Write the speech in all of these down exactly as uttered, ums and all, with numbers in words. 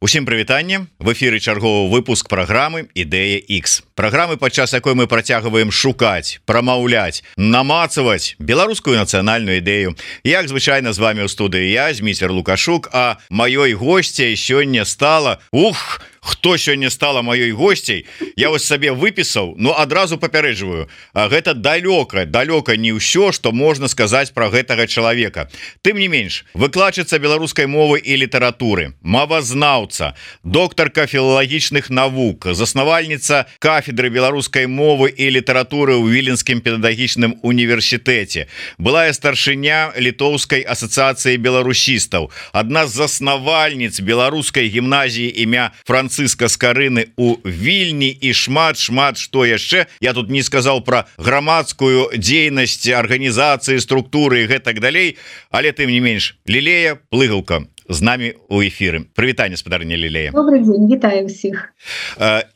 Усім прывітанне, в эфіры чарговы выпуск праграмы Ідэя X. Праграмы, падчас якой мы працягваем шукаць, прамаўляць, намацаваць беларускую нацыянальную ідэю. Як звычайна з вами ў студыі я, Зміцер Лукашук, а маёй госцяй сёння стала... Ух! Хто сёння стала маёй госцей, я вось сабе выпісаў, но адразу папярэджваю, гэта далёка, далёка не ўсё, што можна сказаць пра гэтага чалавека. Тым не менш, выкладчыца беларускай мовы і літаратуры, мовазнаўца, доктарка філалагічных навук, заснавальніца кафедры беларускай мовы і літаратуры ў Віленскім педагагічным універсітэце, былая старшыня літоўскай асацыяцыі беларусістаў, адна з заснавальніц беларускай гімназіі імя Францыска Скарыны у Вільні і шмат шмат што яшчэ. Я тут не сказаў пра грамадскую дзейнасць арганізацыі, структуры і гэтак далей, але тым не менш, Лілея Плыгаўка з намі у эфіры. Прывітанне, спадарня Лілея. Добрый дзень, вітаю ўсіх.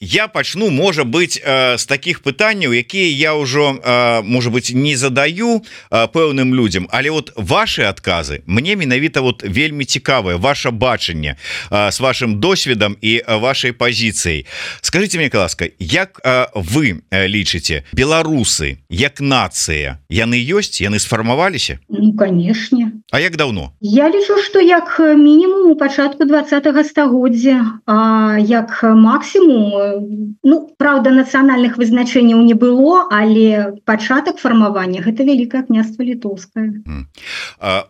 Я пачну, можа быць, з такіх пытанняў, якія я ўжо, можа быць, не задаю пэўным людзям, але вот ваши адказы мне менавіта вот вельмі цікавае, ваше бачанне с вашим досведам і вашай пазіцыяй. Скажите мне, ласка, як вы лічыце, беларусы як нацыя, яны ёсць, яны сфармаваліся? Ну, конечно. А як даўно? Я лічу, што як мінімум у пачатку двадцатага стагоддзя, а як максімум, ну, правда, нацыянальных вызначэнняў не было, але пачатак фармавання гэта Вялікае княства Літоўскае.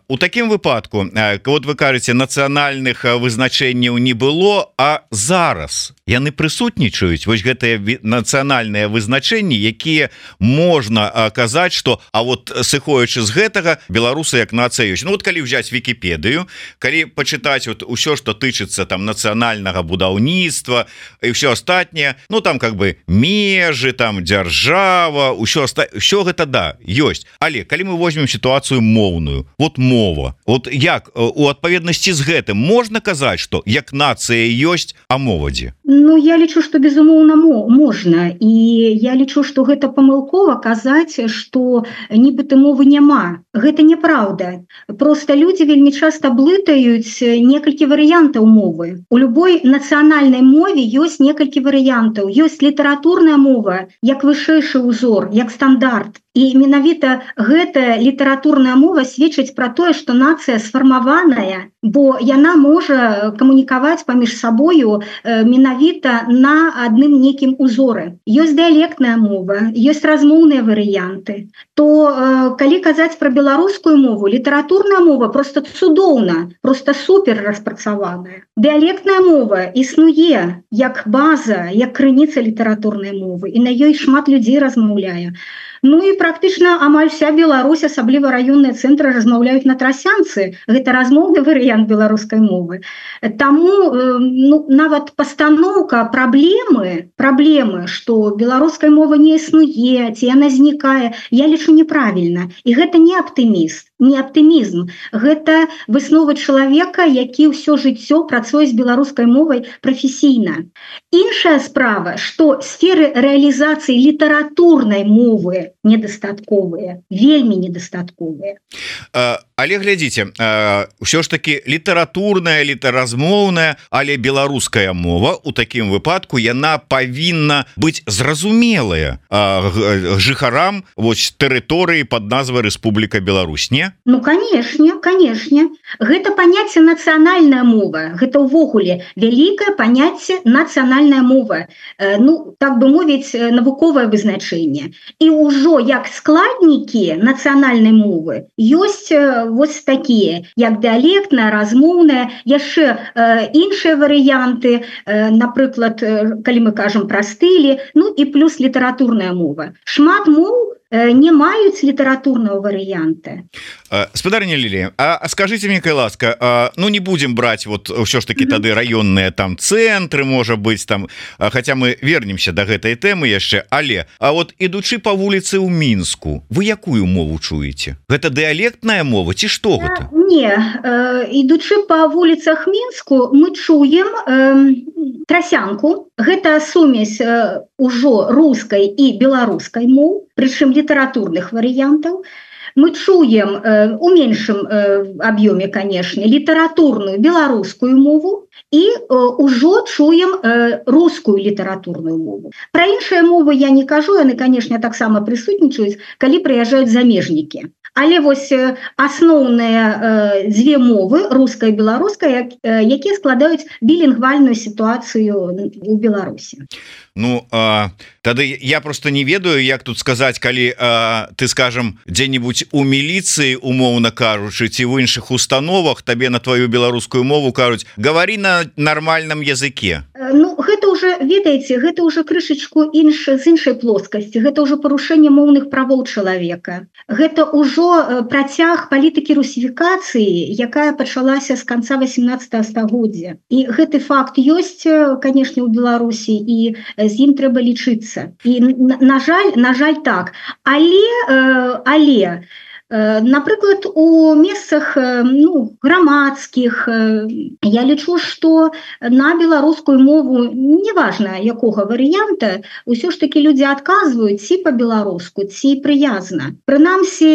У такім выпадку, вот вы кажаце, нацыянальных вызначэнняў не было, а зараз яны прысутнічаюць, вось гэтыя нацыянальныя вызначэнні, якія можна казаць, што а вот сыходзячы з гэтага, беларусы як нацыя ёсць. Ну вот калі взять Вікіпедыю, калі пачытаць вот усё, што тычыцца там нацыянальнага будаўніцтва і ўсё астатняе, ну там как бы межы, там дзяржава, ўсё аста... ўсё гэта да, ёсць. Але калі мы возьмем сітуацыю моўную, вот мова, вот як у адпаведнасці з гэтым можна казаць, што як нацыя ёсць, а мова дзе? Ну, я лічу, што безумоўна можна, і я лічу, што гэта памылкова казаць, што нібыта мовы няма. Гэта неправда. Просто людзі вельмі часта блытаюць некалькі варыянтаў мовы. У любой нацыянальнай мове ёсць некалькі варыянтаў. Ёсць літаратурная мова, як вышэйшы ўзор, як стандарт. І менавіта гэтая літаратурная мова сведчыць пра тое, што нацыя сфармаваная, бо яна можа камунікаваць паміж сабою менавіта на адным нейкім узоры. Ёсць дыялектная мова, ёсць размоўныя варыянты. То калі казаць пра беларускую мову, літаратурная мова просто цудоўна, просто супер распрацаваная. Дыялектная мова існуе як база, як крыніца літаратурнай мовы, і на ёй шмат людзей размаўляе. Ну і практычна амаль вся Беларусь, асабліва раённыя цэнтры, размаўляюць на трасянцы. Гэта размоўны варыянт беларускай мовы. Таму ну, нават пастаноўка праблемы, праблемы, што беларускай мова не існуе, ці яна знікае, я лічу неправільна. І гэта не аптыміст, не аптымізм. Гэта выснова чалавека, які ўсё жыццё працуе з беларускай мовай прафесійна. Іншая справа, што сферы рэалізацыі літаратурнай мовы недастатковыя, вельмі недастатковыя. Але глядзіце, ўсё ж таки літаратурная, літаразмоўная, але беларуская мова у такім выпадку яна павінна быць зразумелая жыхарам вось тэрыторыі пад назвай Рэспубліка Беларусь, не? Ну, канешне, канешне. Гэта паняцце нацыянальная мова. Гэта ўвогуле вялікае паняцце нацыянальная мова. Ну, так бы мовіць, навуковае вызначэнне. І ўжо як складнікі нацыянальнай мовы ёсць вось такія, як дыялектная, размоўная, яшчэ э, іншыя варыянты, э, напрыклад, э, калі мы кажам пра стылі, ну і плюс літаратурная мова. Шмат моў не маюць літаратурного варыянта. Спадарня Лілія, а скажите мне, ласка, ну не будем брать вот ўсё ж таки тады раённыя там цэнтры, можа быць там, хотя мы вернемся до гэтай тэмы яшчэ, але а вот ідучы по вуліцы ў Мінску, вы якую мову чуеце? Гэта дыялектная мова ці што гэта? Не, ідучы по вуліцах Мінску мы чуем э, трасянку. Гэта сумесь э, ужо рускай і беларускай моў, прычым літаратурных варыянтаў. мы чуем э, у меньшым э, объеме, конечно, литературную белорусскую мову и э, ужо чуем э, русскую литературную мову. Про іншыя мовы я не кажу, яны, конечно, таксама прысутнічаюць, калі прыязджаюць замежнікі. Але вось асноўныя э, дзве мовы, руская і беларуская, э, якія складаюць білінгвальную сітуацыю у Беларусі. Ну а, тады я просто не ведаю, як тут сказаць, калі а, ты, скажем, дзе-нибудь у міліцыі, умоўна кажучы, ці ў іншых установах табе на твою беларускую мову кажуць: говори на нормальном языке. Ну, гэта уже, ведаеце, гэта уже крышачку інш, з іншай плоскасці, гэта уже парушэнне моўных правоў чалавека. Гэта ўжо працяг палітыкі русіфікацыі, якая пачалася з канца восемнадцатого стагоддзя. І гэты факт ёсць, канешне, у Беларусі, і з ім трэба лічыцца. І на жаль, на жаль так. Але, але напрыклад, у месцах ну, грамадскіх я лічу, што на беларускую мову, неважна якога варыянта, усё ж такі людзі адказваюць ці па-беларуску, ці прыязна. Прынамсі,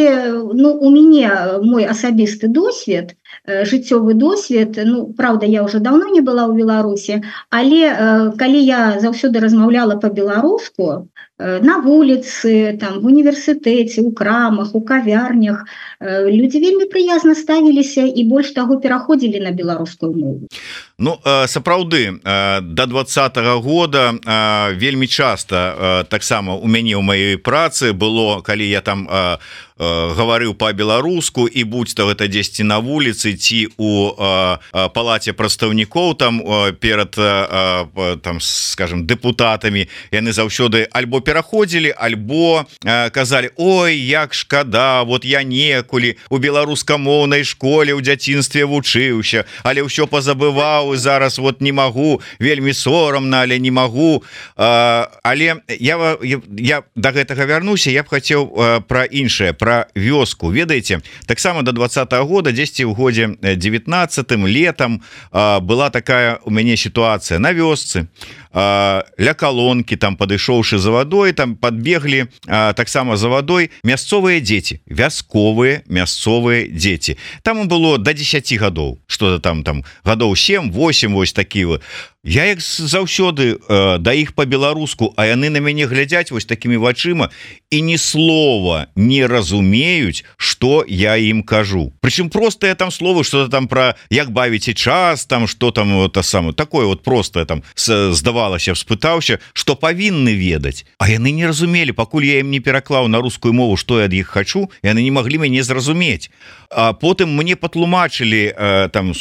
ну, у мяне мой асабісты досвед, жыццёвы досвед, ну, правда, я уже давно не была ў Беларусі, але калі я заўсёды размаўляла па-беларуску, на вуліцы, там, в універсітэце, у крамах, у кавярнях, людзі вельмі прыязна ставіліся і больш таго пераходзілі на беларускую мову. Ну, сапраўды, да двадцатага года вельмі часта таксама у мяне ў маёй працы было, калі я там гаварыў па-беларуску, і будь то гэта дзесьці на вуліцы ці у палаце прадстаўнікоў там перад там, скажем, дэпутатамі, яны заўсёды альбо пераходзілі, альбо казалі: ой, як шкада, вот я некулі у беларускамоўнай школе ў дзяцінстве вучыўся, але ўсё пазабываў, і зараз вот не магу, вельмі сорамна, але не магу. Але я, я да гэтага вярнуся, я б хацеў пра іншае, про вёску. Ведаеце, таксама до двадцатого года, дзесьці ў годзе девятнадцатым летом была такая у мяне сітуацыя на вёсцы. Ля калонкі, там падышоўшы за вадой, там подбеглі таксама за вадой мясцовыя дзеці, вясковыя мясцовыя дзеці. Там было до десяти гадоў, что-то там там гадоў семь восемь, вось такі вот. Я як заўсёды э, да іх по-беларуску, а яны на мяне глядзяць вось такімі вачыма і ні слова не разумеюць, што я ім кажу. Прычым простыя там словы, что-то там про як бавіце час, там что там вот, самое такое вот простое там здавалася, вспытаўся, што павінны ведаць. А яны не разумелі, пакуль я ім не пераклаў на рускую мову, што я ад іх хачу, яны не маглі мяне зразумець. А потым мне патлумачылі э, там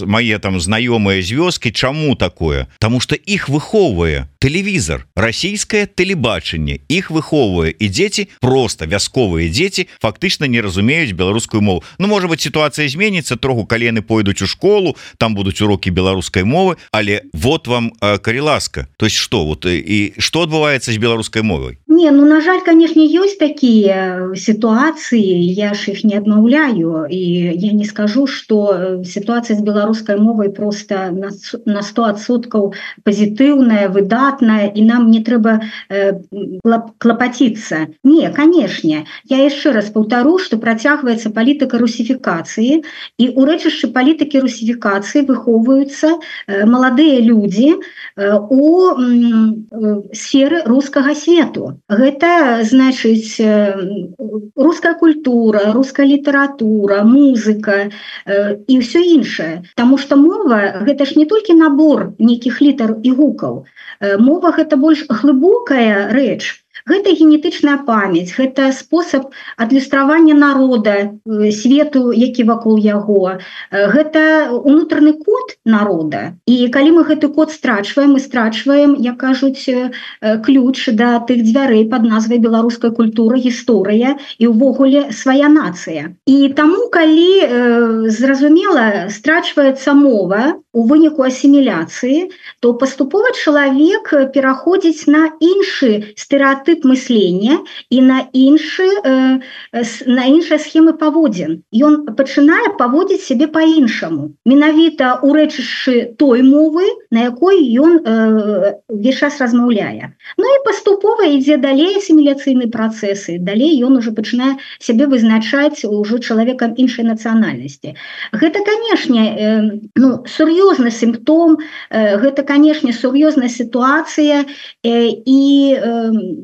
мае там знаёмыя з вёскі, чаму такое. Потому что их выхоўвае тэлевізор, расійскае тэлебачанне, их выхоўвае, і дзеці, просто вясковыя дзеці, фактычна не разумеюць беларускую мову. Ну, можа быть, сітуацыя зменіцца троху, калі яны пойдуць у школу, там будуць урокі беларускай мовы, але вот вам, э, калі ласка. То есть что, вот, і што адбываецца з беларускай мовай? Не, ну, на жаль, конечно, ёсць такія сітуацыі, я ж іх не адмаўляю, і я не скажу, што сітуацыя з беларускай мовай просто на сто адсоткаў пазітыўная, выдатная, і нам не трэба э, клапаціцца. Не, канешне, я яшчэ раз паўтару, што працягваецца палітыка русіфікацыі, і ў рэчышчы палітыкі русіфікацыі выхоўваюцца э, маладыя людзі э, у э, сферы рускага свету. Гэта, значыць, э, руская культура, руская літаратура, музыка э, і ўсё іншае. Таму што мова — гэта ж не толькі набор нейкіх літар і гукаў. Мова — гэта больш глыбокая рэч. Гэта генетычная памяць, гэта спосаб адлюстравання народа, свету, які вакол яго. Гэта унутраны код народа. І калі мы гэты код страчваем, мы страчваем, як кажуць, ключ да тых дзвярэй пад назвай беларуская культура, гісторыя і ўвогуле свая нацыя. І таму, калі, зразумела, страчваецца мова у выніку асіміляцыі, то паступова чалавек пераходзіць на іншы стэрэатып тып мыслення і на іншы на іншыя схемы паводзін. Ён пачынае паводзіць сябе па-іншаму, менавіта ў рэчышчы той мовы, на якой ён увесь час размаўляе. Ну і паступова ідзе далей асіміляцыйны працэсы, далей ён уже пачынае сябе вызначаць уже чалавекам іншай нацыянальнасці. Гэта, канешне, ну, сур'ёзны сімптом, гэта, канешне, сур'ёзная сітуацыя, і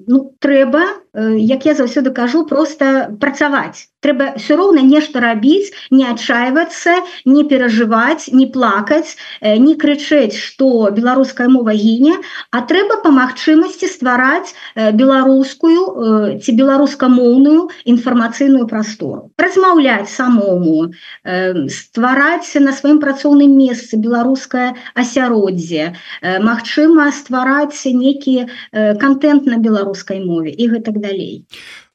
ну, трэба, як я заўсёды кажу, просто працаваць. Трэба все роўна нешта рабіць, не адчайвацца, не перажываць, не плакаць, не крычэць, што беларуская мова гіне, а трэба па магчымасці ствараць беларускую ці беларускамоўную інфармацыйную прастору. Размаўляць самому, ствараць на сваім працоўным месцы беларускае асяроддзе, магчыма ствараць нейкі контент на беларускай мове і гэтак далей.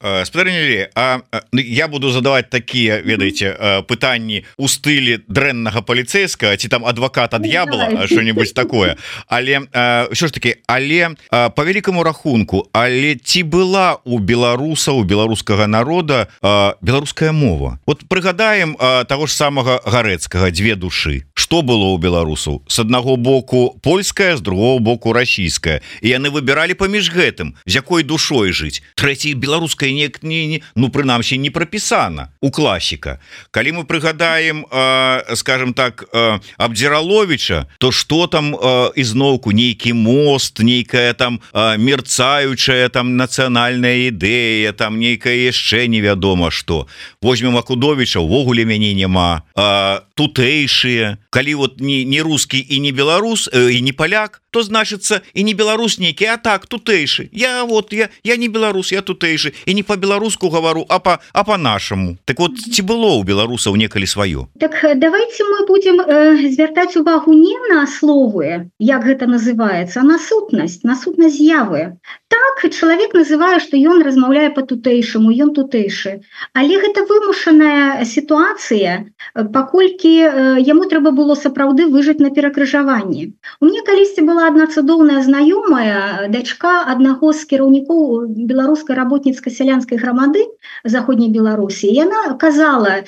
Спадарнілі, а я буду задаваць такія, ведаеце, пытанні у стылі дрэннага паліцэйскага ці там адваката д'ябла, што-небудзь такое. Але ўсё ж таки, але по вялікаму рахунку, але ці была у беларусаў, у беларускага народа беларуская мова? Вот прыгадаем таго ж самага Гарэцкага «Дзве душы». Што было ў беларусаў? З аднаго боку польская, з другого боку расійская. І яны выбіралі паміж гэтым, з якой душой жыць. Трэцяй беларускай не, не, ну, прынамсі, не прапісана у класіка. Калі мы прыгадаем, э, скажем так, э, Абдзіраловіча, то што там э, ізноўку нейкі мост, нейкая там э, мерцаючая там нацыянальная ідэя, там нейкая яшчэ невядома што. Возьмем Акудовіча, увогуле мяне няма. Э, тутэйшыя. Калі вот не, не рускі і не беларус, э, і не паляк, то значыцца і не беларус нейкі, а так, тутэйшы. Я вот, я, я не беларус, я тутэйшы. І не по-беларуску гавару, а по, а по-нашаму. Так вот, ці было ў беларусаў некалі сваё? Так давайте мы будем э, звяртаць увагу не на словы, як гэта называецца, а на сутнасць, на сутнасць з'явы. Так, чалавек называе, што ён размаўляе па-тутэйшаму, ён тутэйшы. Але гэта вымушаная сітуацыя, паколькі э, яму трэба было сапраўды выжыць на перакрыжаванні. У мяне калісьці была адна цудоўная знаёмая, дачка аднаго з кіраўнікоў беларускай работніцка-сялянскай грамады заходняй Беларусі. Яна казала,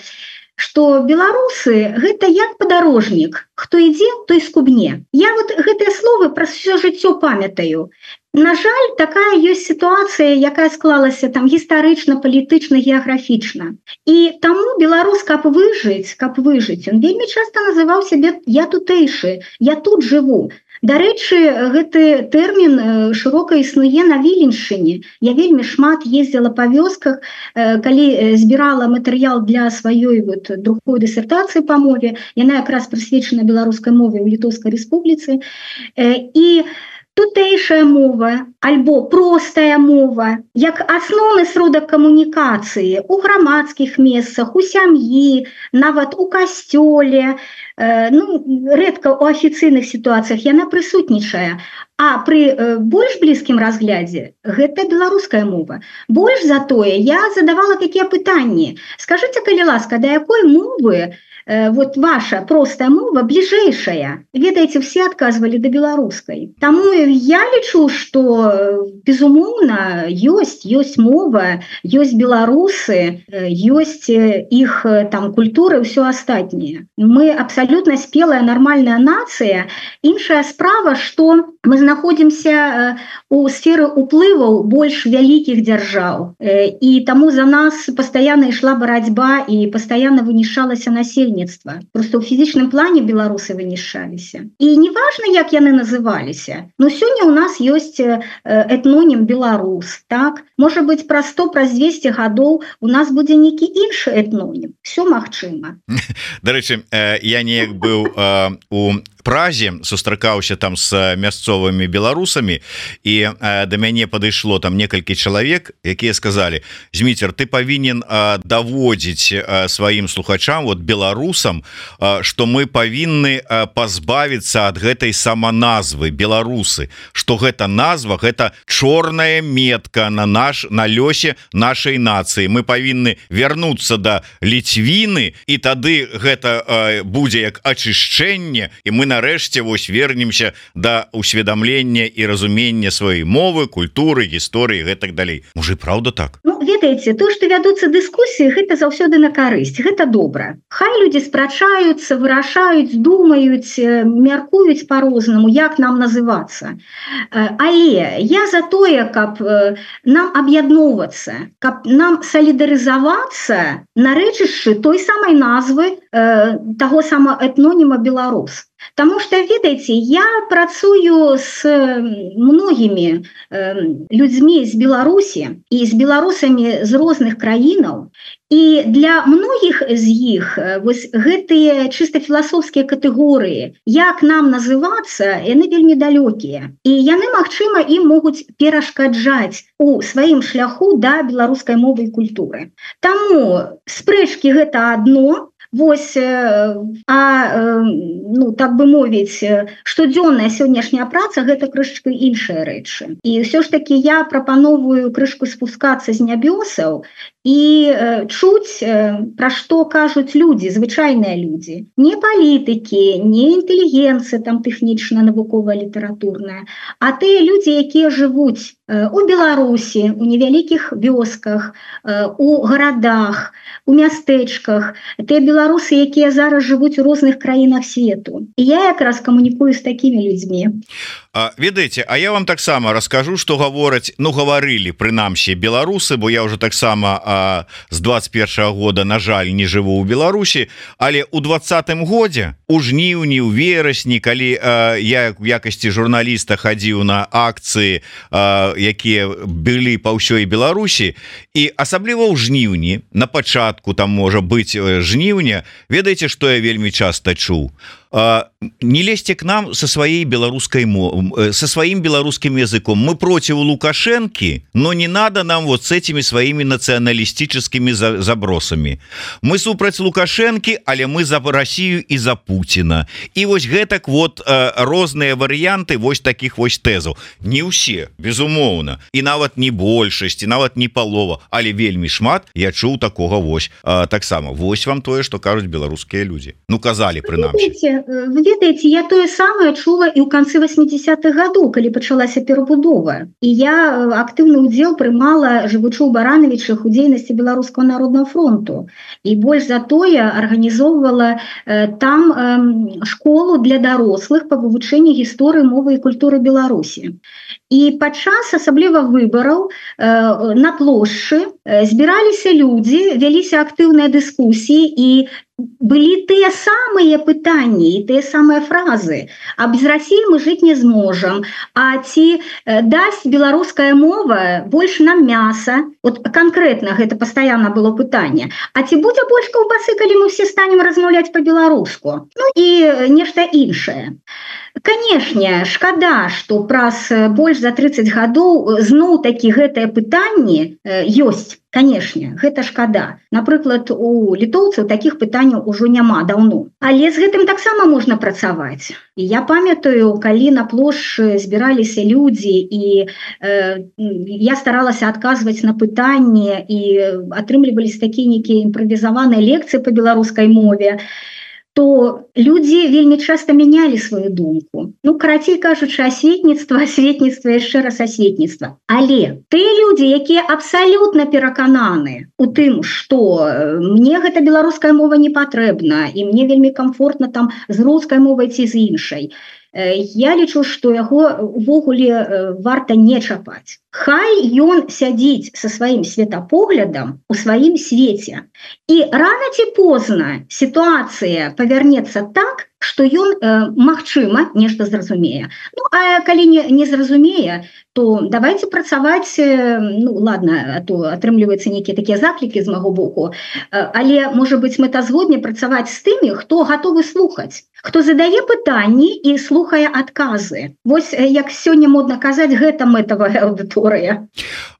што беларусы гэта як падарожнік, хто ідзе, той скубне. Я вот гэтыя словы праз усё жыццё памятаю. На жаль, такая ёсць сітуацыя, якая склалася там гістарычна, палітычна, геаграфічна. І таму беларус, каб выжыць, каб выжыць, ён вельмі часта называў сябе «я тутэйшы», «я тут жыву». Дарэчы, гэты тэрмін шырока існуе на Віленшчыне. Я вельмі шмат ездзіла па вёсках, калі збірала матэрыял для сваёй вот другой дысертацыі па мове. Яна якраз прысвечана беларускай мове ў Літоўскай рэспубліцы. І тутэйшая мова альбо простая мова, як асноўны сродак камунікацыі ў грамадскіх месцах, у сям'і, нават у касцёле, э, ну, рэдка ў афіцыйных сітуацыях яна прысутнічае. А пры э, больш блізкім разглядзе гэта беларуская мова. Больш за тое, я задавала такія пытанні. Скажыце, калі ласка, да якой мовы вот ваша простая мова бліжэйшая? Ведаеце, все адказвалі да беларускай. Таму я лічу, што безумоўна ёсць, ёсць мова, ёсць беларусы, ёсць іх там культура і ўсё астатняе. Мы абсалютна спелая нармальная нацыя. Іншая справа, што мы знаходзімся у сферы ўплываў больш вялікіх дзяржаў. І таму за нас пастаянна ішла барацьба і пастаянна вынішалася насельніцтва. Просто ў фізічным плане беларусы вынішаліся. І неважна, як яны называліся, но сёння ў нас ёсць этнонім беларус, так? Можа быць, праз сто, праз дзвесце гадоў у нас будзе нейкі іншы этнонім. Всё магчыма. Дарэчы, я неяк быў у Празе, сустракаўся там з мясцовымі беларусамі, і э, да мяне падышло там некалькі чалавек, якія сказалі: Зміцер, ты павінен э, даводзіць э, сваім слухачам, вот беларусам, э, што мы павінны э, пазбавіцца ад гэтай саманазвы беларусы, што гэта назва, гэта чорная метка на наш на лёсе нашай нацыі. Мы павінны вярнуцца да Ліцвіны, і тады гэта э, будзе як ачышчэнне, і мы нарэшце вось вернемся да усведамлення і разумення сваёй мовы, культуры, гісторыі, гэтак далей. Можа, правда так? Ну, ведаеце, то, што вядуцца дыскусіі, гэта заўсёды на карысць, гэта добра. Хай людзі спрачаюцца, вырашаюць, думаюць, мяркуюць по-рознаму, як нам называцца. Але я за тое, каб нам аб'ядноўвацца, каб нам салідарызавацца на рэчышчы той самай назвы таго самага этноніма беларус. Таму што, ведаеце, я працую з многімі людзьмі з Беларусі і з беларусамі з розных краінаў, і для многіх з іх вось гэтыя чыста філасофскія катэгорыі, як нам называцца, яны вельмі далёкія. І яны, магчыма, ім могуць перашкаджаць у сваім шляху да беларускай мовы і культуры. Таму спрэчкі гэта адно. Вось, а, ну, так бы мовіць, штодзённая сённяшняя праца – гэта крышачка іншыя рэчы. І ўсё ж такі я прапановую крышку спускацца з нябёсаў і чуць, пра што кажуць людзі, звычайныя людзі. Не палітыкі, не інтэлігенцыя там тэхнічна, навуковая, літаратурная, а тыя людзі, якія жывуць у Беларусі, у невялікіх вёсках, у гарадах, у мястэчках, тыя беларусы, якія зараз жывуць у розных краінах свету. І я якраз камунікую з такімі людзьмі. А, ведаеце, а я вам таксама раскажу, што гавораць, ну гаварылі прынамсі беларусы, бо я ўжо таксама а, з двадцать першага года, на жаль, не жыву ў Беларусі, але ў двадцатым годзе, у жніўні, у верасні, калі а, я в якасці журналіста хадзіў на акцыі, а, якія былі па ўсёй Беларусі, і асабліва ў жніўні, на пачатку там можа быць жніўня, ведаеце, што я вельмі часта чуў? Не лезьте к нам со своей белорусской со своим белорусским языком. Мы против Лукашенки, но не надо нам вот с этими своими националистическими забросами. Мы супраць Лукашенки, але мы за Россию и за Путина. И вот гэтак вот розныя варианты вот таких вот тезов. Не все, безумоўно. И нават не большасць, и нават не палова, але вельмі шмат я чуў такого вось. Таксама, вось вам тое, что кажуць беларускія люди. Ну, казали прынамсі. Вы ведаеце, я тое самае чула і ў канцы восьмидесятых гадоў, калі пачалася перабудова. І я актыўны ўдзел прымала, жывучы ў Баранавічах, у дзейнасці Беларускага народнага фронту. І больш за тое арганізоўвала э, там э, школу для дарослых па вывучэнні гісторыі, мовы і культуры Беларусі. І падчас асабліва выбараў э, на плошчы э, збіраліся людзі, вяліся актыўныя дыскусіі, і былі тыя самыя пытанні і тыя самыя фразы. А без России мы жыць не зможам. А ці дасць беларуская мова больш нам мяса? Вот конкретно гэта пастаянна было пытанне. А ці будзе больш каўбасы, калі мы все станем размаўляць по-беларуску? Ну і нешта іншае. Канешне, шкада, што праз больш за тридцать гадоў зноў такі гэтыя пытанні ёсць. Канешне, гэта шкада. Напрыклад, у літоўцаў такіх пытанняў ужо няма даўно. Але з гэтым таксама можна працаваць. І я памятаю, калі на плошчы збіраліся людзі, і э, я старалася адказваць на пытанні, і атрымліваліся такія нейкія імправізаваныя лекцыі па беларускай мове, то людзі вельмі часта мянялі сваю думку. Ну, карацей кажучы, асветніцтва, асветніцтва, яшчэ раз асветніцтва. Але тыя людзі, якія абсалютна перакананы у тым, што мне гэта беларуская мова не патрэбна, і мне вельмі комфортна там з рускай мовай ці з іншай, я лічу, што яго увогуле варта не чапаць. Хай ён сядзіць са сваім светапоглядам у сваім свеце. І рана ці позна сітуацыя павярнецца так, што ён, э, магчыма, нешта зразумее. Ну, а калі не, не зразумее, то давайте працаваць, э, ну, ладно, а то атрымліваюцца нейкія такія заклікі з маго боку, э, але, можа быць, мэтазгодна працаваць з тымі, хто гатовы слухаць, хто задае пытанні і слухае адказы. Вось, як сёння модна казаць, гэта мэтавая аўдыторыя.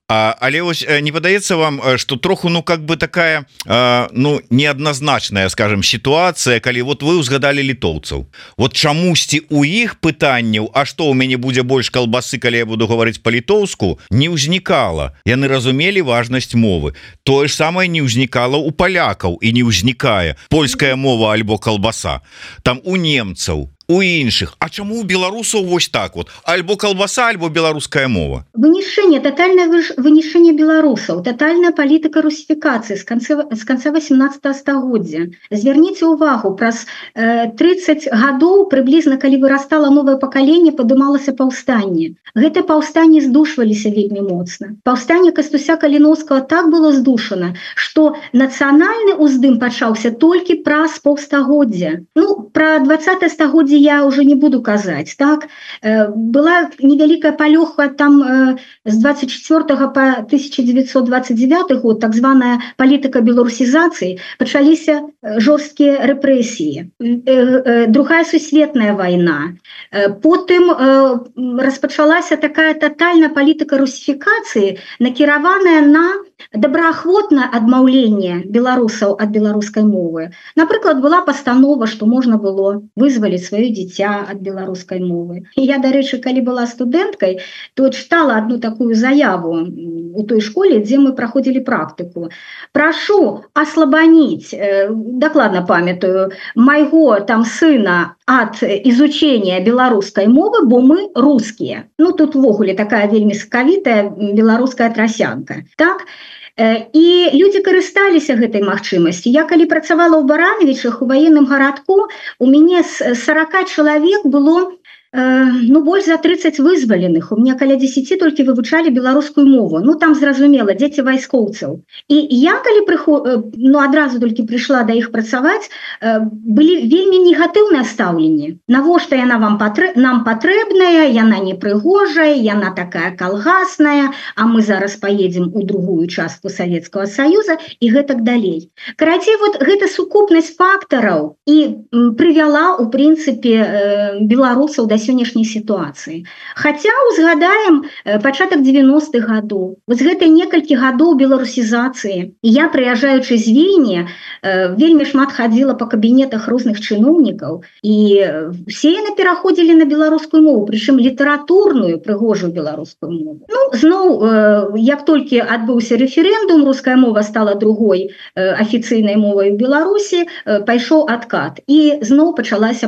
А, але ось не падаецца вам, что троху, ну, как бы такая, а, ну, неадназначная, скажем, ситуация, калі вот вы узгадали літоўцаў. Вот чамусьці у іх пытанняў, а што у мяне будзе больш калбасы, калі я буду гаварыць па-літоўску, не ўзнікала. Яны разумелі важнасць мовы. Тое ж самае не ўзнікала у палякаў і не ўзнікае польская мова альбо калбаса. Там у немцаў, у іншых. А чаму у беларусаў вось так вот альбо калбаса, альбо беларуская мова? Вынішэнне, тотальное вынішэнне беларусаў, тотальная палітыка русіфікацыі з канца з канца восемнадцатого стагоддзя. Звярніце ўвагу, праз э, тридцать гадоў прыблізна, калі вырастала новае пакаленне, падымалася паўстанне. Гэта паўстанне здушваліся вельмі моцна. Паўстанне Кастуся Каліноўскага так было здушана, што нацыянальны ўздым пачаўся толькі праз паўстагоддзя. Ну, пра двадцатое стагоддзе я уже не буду казаць, так? Э, была невялікая палёгка там э, з двадцать четвёртого по тысяча девятьсот двадцать девятый год, так званая палітыка беларусізацыі, пачаліся жорсткія рэпрэсіі. Э, э, другая сусветная вайна. Э, потым э, распачалася такая тотальная палітыка русіфікацыі, накіраваная на добраахвотнае адмаўленне беларусаў ад беларускай мовы. Напрыклад, была пастанова, што можна было вызваліць сваё дзіця ад беларускай мовы. І я, дарэчы, калі была студэнткай, то чытала одну такую заяву у той школе, дзе мы праходзілі практыку. Прашу аслабаніць, э, дакладна памятаю, майго там сына ад изучения беларускай мовы, бо мы рускія. Ну, тут ввогуле такая вельмі сакавітая беларуская трасянка. Так? І людзі карысталіся гэтай магчымасці. Я калі працавала ў Барановічах у ваенным гарадку, у мяне з сорока чалавек было ну, больш за тридцать вызваленых. У меня каля десяти толькі вывучалі беларускую мову. Ну, там зразумела, дзеці вайскоўцаў. І я, калі прыход... ну, адразу толькі прыйшла да іх працаваць, былі вельмі негатыўнае стаўленне. Навошта яна вам патрэ... нам патрэбная, яна непрыгожая, яна такая калгасная, а мы зараз поедем у другую частку Савецкага Саюза і гэтак далей. Карацей, вот гэта сукупнасць фактараў і прывяла, у прынцыпе, беларусаў да сённяшняй сітуацыі. Хаця узгадаем пачатак девяностых гадоў. Вось гэта некалькі гадоў беларусізацыі. І я, прыязджаючы з Вільні, вельмі шмат хадзіла па кабінетах розных чыноўнікаў, і все яны пераходзілі на беларускую мову, прычым літаратурную, прыгожую беларускую мову. Ну, зноў, як толькі адбыўся рэферэндум, руская мова стала другой афіцыйнай мовай у Беларусі, пайшоў адкат, і зноў пачалася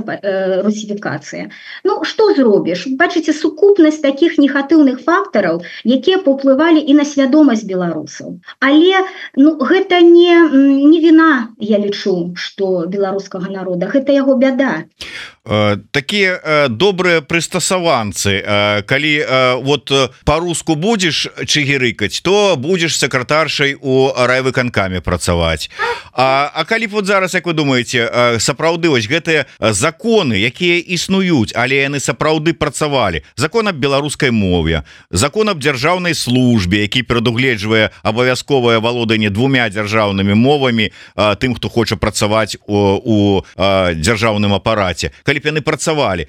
русіфікацыя. Ну, што зробіш? Бачыце, сукупнасць такіх негатыўных фактараў, якія паўплывалі і на свядомасць беларусаў. Але ну, гэта не, не віна, я лічу, што беларускага народа, гэта яго бяда. Такія добрыя прыстасаванцы, калі вот по-руску будзеш чыгірыкаць, то будзеш сакратаршай у райвыканкаме працаваць. А, а калі вот зараз, як вы думаеце, сапраўды вось гэтыя законы, якія існуюць, але яны сапраўды працавалі, закон аб беларускай мове, закон аб дзяржаўнай службе, які прадугледжвае абавязковае валоданне двумя дзяржаўнымі мовамі тым, хто хоча працаваць у, у дзяржаўным апараце, калі б яны працавалі,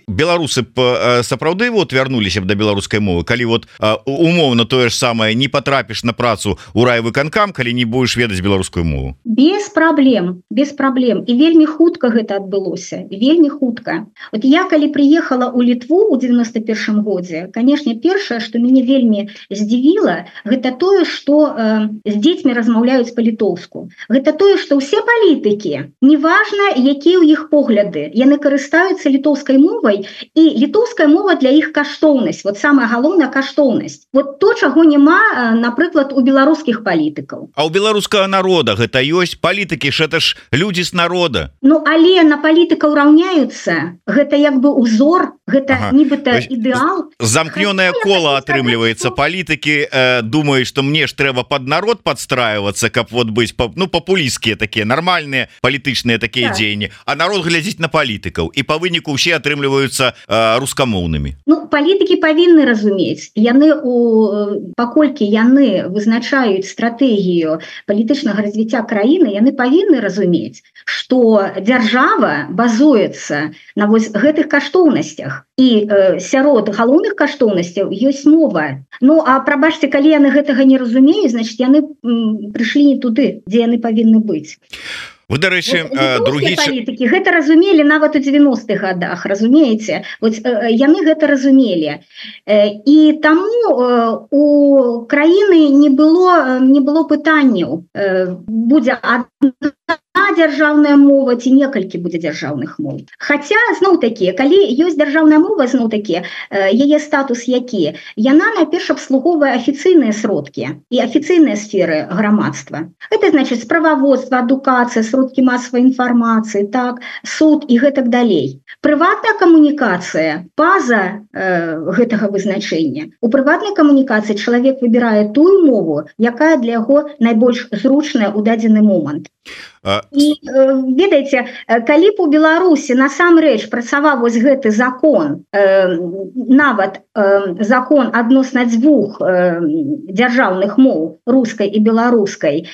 беларусы б сапраўды вот вярнуліся б да беларускай мовы, калі вот умоўна тое ж самае, не потрапіш на працу у райвыканкам, калі не будешь ведаць беларускую мову? Без праблем, без праблем. І вельмі хутка гэта адбылося, вельмі хутка. Вот я калі приехала у Літву у девяносто первом годзе, конечно, першае, што мяне вельмі здзівіла, гэта тое, што э, з дзецьмі размаўляюць па-літоўску. Гэта тое, што ўсе палітыкі, неважна, якія ў іх погляды, яны карыстаюцца літоўскай мовай, і літоўская мова для іх каштоўнасць, вот самая галоўная каштоўнасць. Вот то, чаго няма, напрыклад, у беларускіх палітыкаў. А у беларускага народа гэта ёсць палітыкі, ж это ж людзі з народа. Ну, але на палітыкаў раўняюцца, гэта як бы узор, гэта ага. нібыта ідэал. Замкнёнае кола атрымліваецца. Палітыкі э, думаюць, што мне ж трэба пад народ падстраювацца, каб вот быць ну, папулісцкія такія нармальныя палітычныя такія так. дзеянні, а народ глядзіць на палітыкаў, і па выніку ўсе атрымліваюцца э, рускамоўнымі. Ну, палітыкі павінны разумець, яны у паколькі яны вызначаюць стратэгію палітычнага развіцця краіны, яны павінны разумець, што дзяржава базуецца на вось гэтых каштоўнасцях, і э, сярод галоўных каштоўнасцяў ёсць мова. Ну, а прабачце, калі яны гэтага не разумеюць, значыць, яны м, прыйшлі не туды, дзе яны павінны быць. Вы, дарэчы, вот, другі палітыкі гэта разумелі нават у девяностых годах, разумееце? Вот, э, яны гэта разумелі. Э, і таму э, у краіны не было, не было пытанняў. Э, будзе адна адна дзяржаўная мова ці некалькі будзе дзяржаўных моў. Хаця зноў такі, калі ёсць дзяржаўная мова, зноў такі яе статус які, яна найперш абслугоўвае афіцыйныя сродкі і афіцыйныя сферы грамадства. Это значыць справаводства, адукацыя, сродкі масавай інфармацыі, так, суд і гэтак далей. Прыватная камунікацыя па-за э, гэтага вызначэння. У прыватнай камунікацыі чалавек выбірае тую мову, якая для яго найбольш зручная ў дадзены момант. І ведаеце, калі б у Беларусі насамрэч працаваў вось гэты закон, нават закон адносна дзвюх дзяржаўных моў, рускай і беларускай,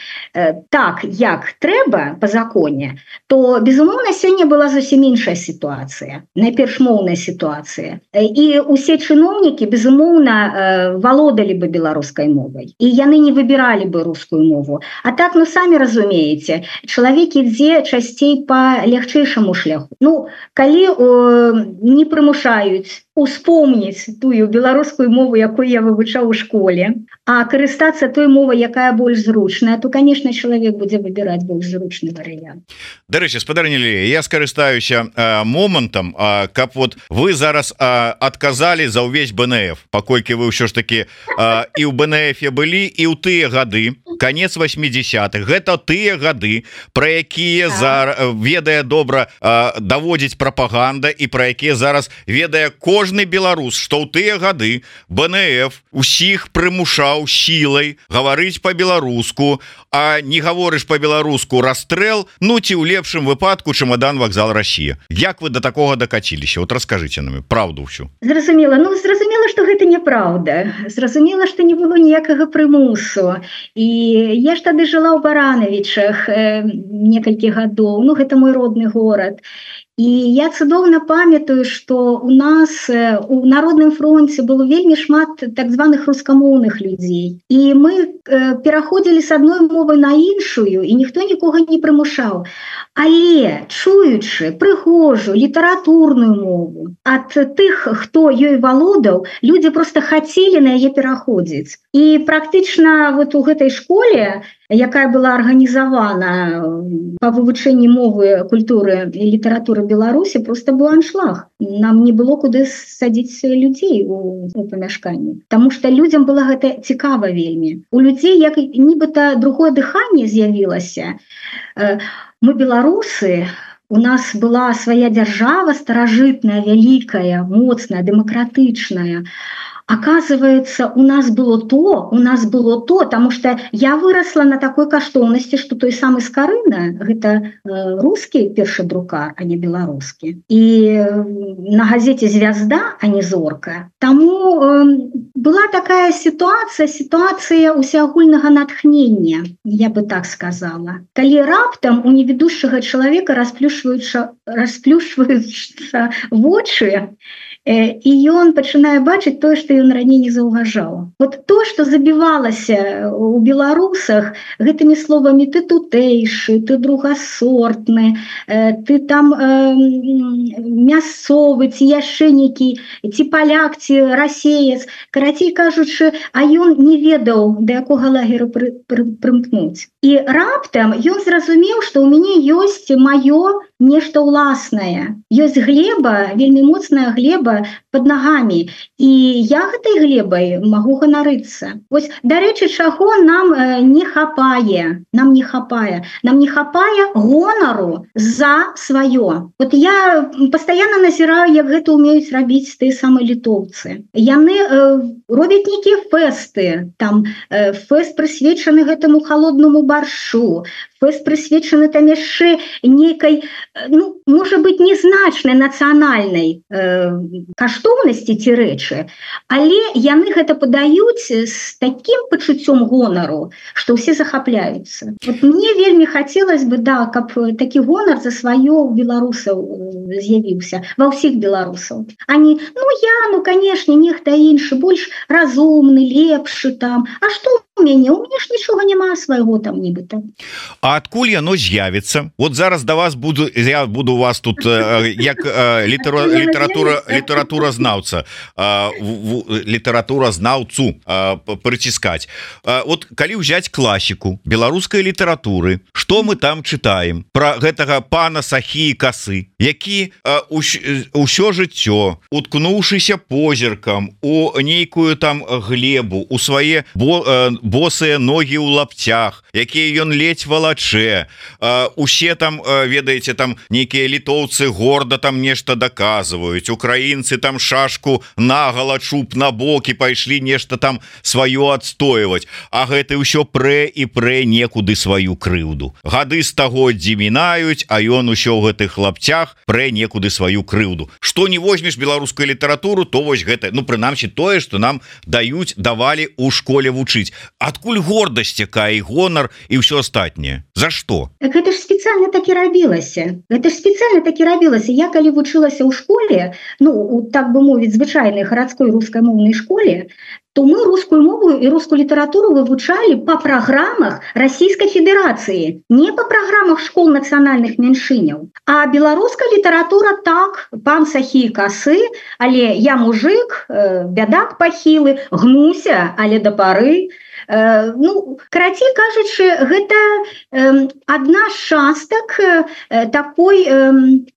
так як трэба па законе, то безумоўна сёння была зусім іншая сітуацыя, найперш моўная сітуацыя. І усе чыноўнікі безумоўна валодалі бы беларускай мовай, і яны не выбіралі бы рускую мову. А так, ну самі разумееце, чалавек ідзе часцей па лягчэйшаму шляху. Ну, калі о, не прымушаюць успомніць тую беларускую мову, якую я вывучаў у школе, а карыстацца той мовай, якая больш зручная, то, конечно, чалавек будзе выбіраць больш зручны варыянт. Дарэчы, спадарня Лілія, я скарыстаюся э, момантам, э, каб вот вы зараз э, адказалі за ўвесь БНФ, паколькі вы ўсё ж таки э, і ў БНФе былі, і ў тыя гады, конец восьмидесятых, гэта тыя гады, пра якія за ведае добра э, даводзіць прапаганда і пра якія зараз ведае кожны беларус, што ў тыя гады БНФ усіх прымушаў сілай гаварыць по-беларуску, а не гаворыш по-беларуску расстрэл, ну ці ў лепшым выпадку чемодан вакзал Россия. Як вы до такога дакаціліся? Вот раскажыце нам правду ўсю. Зразумела, ну зразумела, што гэта неправда. Зразумела, што не было ніякага прымусу. І я ж тады жыла ў Барановичах э, некалькі гадоў, ну гэта мой родны горад. І я цудоўна памятаю, што у нас у Народным фронце было вельмі шмат так званых рускамоўных людзей. І мы пераходзілі з адной мовы на іншую, і ніхто нікога не прымушаў. Але чуючы прыгожую літаратурную мову ад тых, хто ёй валодаў, людзі проста хацелі на яе пераходзіць. І практычна вот у гэтай школе, якая была арганізавана па вывучэнні мовы, культуры і літаратуры Беларусі, просто быў аншлаг. Нам не было куды садзіць людзей у, у памяшканні. Таму што людзям было гэта цікава вельмі. У людзей як нібыта другое дыханне з'явілася. Мы беларусы, у нас была свая дзяржава старажытная, вялікая, моцная, дэмакратычная. Оказывается, у нас было то, у нас было то, потому что я выросла на такой каштоўнасці, что той самый Скарына, гэта э, русский першы друкар, а не беларускі. І на газете «Звязда», а не «Зорка». Таму э, была такая ситуация, ситуация усеагульнага натхнення, я бы так сказала. Калі раптам у неведущага чалавека расплюшваюцца, расплюшваюцца вочы, і ён пачынае бачыць тое, што ён раней не заўважаў. Вот то, што забівалася у беларусах гэтымі словамі ты тутэйшы, ты другасортны, ты там э, мясцовы, ці яшчэ некі, ці паляк, ці расеец, карацей кажучы, а ён не ведаў, да якога лагеру пры, пры, прымкнуць. І раптам ён зразумеў, што ў мяне ёсць маё нешта ўласнае. Ёсць глеба, вельмі моцная глеба под ногами. І я гэтай глебай магу ганарыцца. Вось, дарэчы, чаго нам э, не хапае. Нам не хапае. Нам не хапае гонару за сваё. Вот я пастаянна назіраю, як гэта умеюць рабіць тыя самыя літоўцы. Яны э, робяць нейкія фэсты. Там э, фэст прысвечаны гэтаму халоднаму баршу. Фэст прысвечаны там яшчэ нейкай, ну, можа быць, незначнай нацыянальнай э, каштоўнасці ці рэчы, але яны гэта падаюць з такім пачуццём гонару, што ўсе захапляюцца. Вот мне вельмі хацелось бы, да, каб такі гонар за сваё у беларусаў з'явіўся, ва ўсіх беларусаў. А не, ну я, ну, канешне, нехта іншы, больш разумны, лепшы там. А што у мяне у мяне ж нічога няма свайго там нібыта. А адкуль яно з'явіцца? Вот зараз да вас буду я буду у вас тут як літера, літаратура літаратура знаўца літаратура знаўцу прыціскаць. Вот калі ўзяць класіку беларускай літаратуры, што мы там чытаем про гэтага пана Сахі Касы, які ўсё жыццё уткнуўшыся позіркам у нейкую там глебу, у свае босыя ногі ў лапцях, якія ён ледзь валачэ, усе там ведаеце там нейкія літоўцы горда там нешта даказваюць, украінцы там шашку нагала чуб на бокі пайшлі нешта там сваё адстойваць, а гэта ўсё прэ і прэ некуды сваю крыўду. Гады стагоддзі мінаюць, а ён усё ў гэтых лапцях прэ некуды сваю крыўду. Што не возьмеш беларускую літаратуру, то вось гэта, ну прынамсі тое, што нам даюць, давалі ў школе вучыць. Адкуль гордасць якая і гонар і ўсё астатняе? За што? Так гэта ж спецыяльна так і рабілася. Гэта ж спецыяльна так і рабілася. Я калі вучылася ў школе, ну, у, так бы мовіць, звычайнай гарадской рускамоўнай школе, то мы рускую мову і рускую літаратуру вывучалі па праграмах Расійскай Федэрацыі, не па праграмах школ нацыянальных меншыняў. А беларуская літаратура так, пан Сахі Касы, але я мужик, бядак пахілы, гнуся, але да пары. Ну, карацей кажучы, гэта адна з частак такой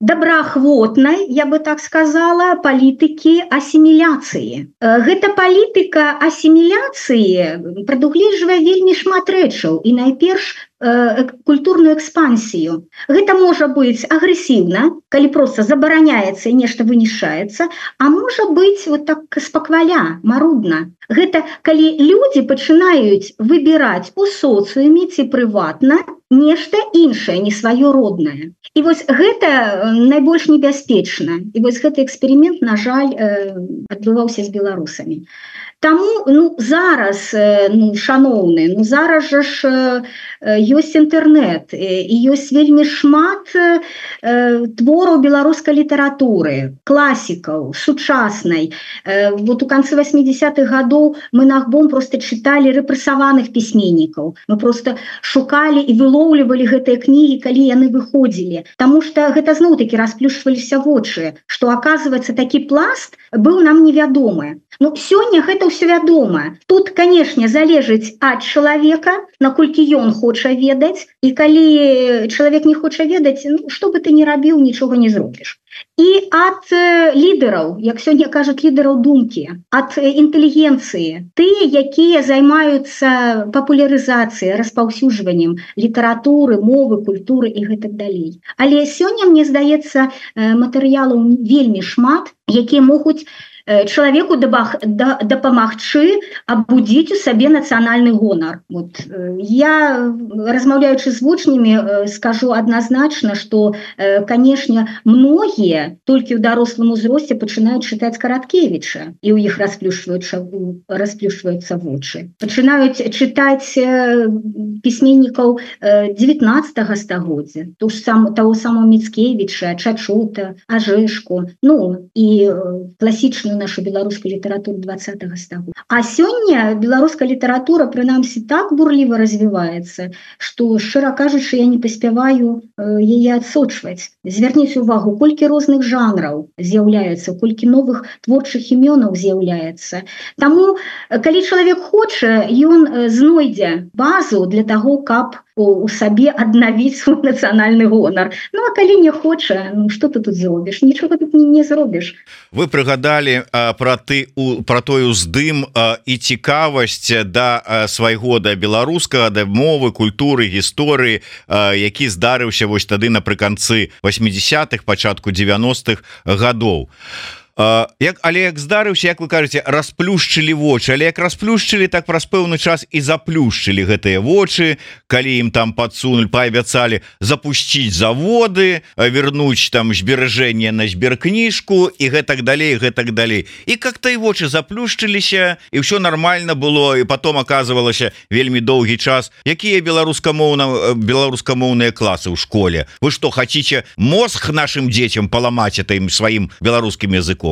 добраахвотнай, я бы так сказала, палітыкі асіміляцыі. Гэта палітыка асіміляцыі прадугледжвае вельмі шмат рэчаў і найперш культурную экспансію. Гэта можа быць агрэсіўна, калі проста забараняецца і нешта вынішаецца, а можа быць вот так спакваля, марудна. Гэта калі людзі пачынаюць выбіраць у соцыуме ці прыватна нешта іншае, не сваё роднае. І вось гэта найбольш небяспечна. І вось гэты эксперымент, на жаль, адбываўся з беларусамі. Таму, ну, зараз, ну, шаноўны, ну, зараз жа ж ёсць інтэрнэт, і ёсць вельмі шмат твораў беларускай літаратуры, класікаў, сучаснай. Вот у канцы восьмидесятых гадоў мы на альбом просто чыталі рэпрэсаваных пісьменнікаў. Мы просто шукалі і вылоўлівалі гэтыя кнігі, калі яны выходзілі. Таму што гэта зноў-такі расплюшваліся вочы, што, аказваецца, такі пласт быў нам невядомы. Ну, сёння гэта ўсё вядома. Тут, канешне, залежыць ад чалавека, наколькі ён хоча ведаць, і калі чалавек не хоча ведаць, ну, што бы ты ні рабіў, нічога не зробіш. І ад лідараў, як сёння кажуць, лідараў думкі, ад інтэлігенцыі, тыя, якія займаюцца папулярызацыяй, распаўсюджваннем літаратуры, мовы, культуры і гэтак далей. Але сёння, мне здаецца, матэрыялаў вельмі шмат, якія могуць чалавеку дапамагчы абудзіць у сабе нацыянальны гонар. Вот. Я, размаўляючы з вучнямі, скажу адназначна, што, канешне, многія толькі ў дарослым узросце пачынаюць чытаць Караткевіча, і ў іх расплюшваюцца вочы. Пачынаюць чытаць пісьменнікаў дзевятнаццатага стагоддзя, таго самого Міцкевіча, Чачута, Ажэшку, ну, і класічную нашу беларускую літаратуру двадцатага стагоддзя. А сёння беларуская літаратура, прынамсі, так бурліва развіваецца, што, шчыра кажучы, я не паспяваю яе адсочваць. Звярніце увагу, колькі розных жанраў з'яўляецца, колькі новых творчых імёнаў з'яўляецца. Таму, калі чалавек хоча, ён знойдзе базу для таго, каб у сабе аднавіць свой нацыянальны гонар. Ну, а калі не хоча, ну, што ты тут зробіш? Нічога тут не, не зробіш. Вы прыгадалі а, пра, ты, у, пра той уздым а, і цікавасць да а, свайго, да беларускага, да мовы, культуры, гісторыі, а, які здарыўся вось тады напрыканцы восьмидесятых, пачатку девяностых гадоў. Uh, як, але як здарыўся, як вы кажаце, расплюшчылі вочы, але як расплюшчылі, так праз пэўны час і заплюшчылі гэтыя вочы, калі ім там падсунулі, паабяцалі запусціць заводы, вернуць там зберажэнне на зберкніжку і гэтак далей, гэтак далей. І как-то і вочы заплюшчыліся, і ўсё нармальна было, і потом аказвалася вельмі доўгі час. Якія беларускамоўна, беларускамоўныя класы ў школе? Вы што, хаціце мозг нашим дзецям паламаць этим сваім беларускім языком?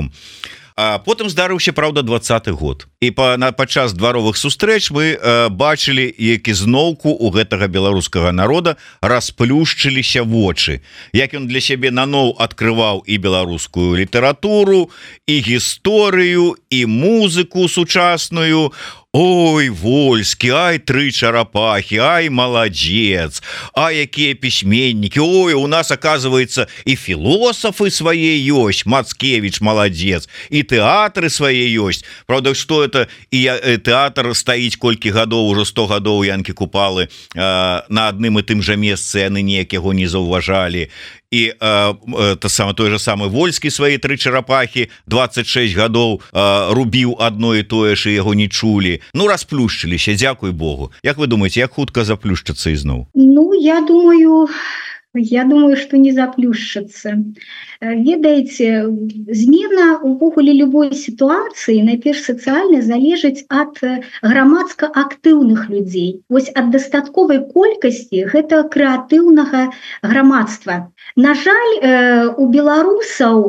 А потым здарыўся, праўда, двадцаты год, і па на падчас дваровых сустрэч мы э, бачылі, як ізноўку у гэтага беларускага народа расплюшчыліся вочы, як ён для сябе наноў адкрываў і беларускую літаратуру, і гісторыю, і музыку сучасную. Ой, Вольскі, ай, тры чарапахі, ай, маладзец, а якія пісьменнікі, ой, у нас, оказывается, і філосафы свае ёсць, Мацкевіч маладзец, і тэатры свае ёсць. Правда, што это, і тэатр стаіць колькі гадоў, ужо сто гадоў Янкі Купалы, э, на адным і тым жа месцы яны неяк яго не заўважалі. І э, то саме той же самы Вольскі свае тры чарапахі двадцать шесть гадоў э, рубіў адно і тое ж, і яго не чулі. Ну, расплюшчыліся, дзякуй Богу. Як вы думаеце, як хутка заплюшчацца ізноў? Ну, я думаю, я думаю, что не заплюшчацца. Ведаеце, змена увогуле любой сітуацыі найперш сацыяльна залежыць ад грамадска актыўных людзей. Вось ад дастатковай колькасці гэта крэатыўнага грамадства. На жаль, у беларусаў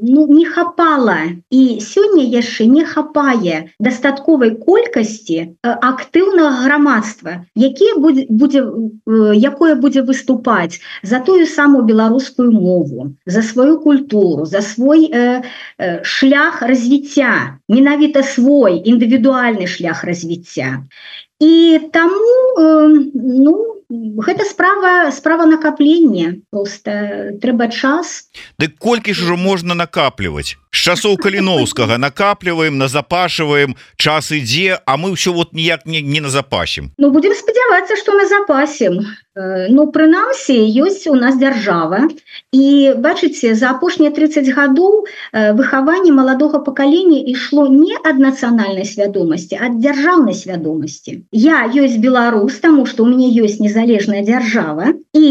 ну, не хапала, і сёння яшчэ не хапае дастатковай колькасці актыўнага грамадства, якое будзе, будзе, якое будзе выступаць за тую самую беларускую мову, за сваю культуру, за свой э, э, шлях развіцця, менавіта свой індывідуальны шлях развіцця. І таму э, ну, гэта справа справа накаплення, просто трэба час. Дык колькі ж ужо можна накапліваць? З часоў Каліноўскага накапліваем, назапашваем, час ідзе, а мы ўсё вот ніяк не, не назапасім. Ну, будем спадзявацца, што назапасім. Ну, прынамсі, ёсць у нас дзяржава, і бачыце, за апошнія тридцать гадоў выхаванне маладога пакалення ішло не ад нацыянальнай свядомасці, а ад дзяржаўнай свядомасці. Я ёсць беларус, таму што ў мяне ёсць незалежная дзяржава, і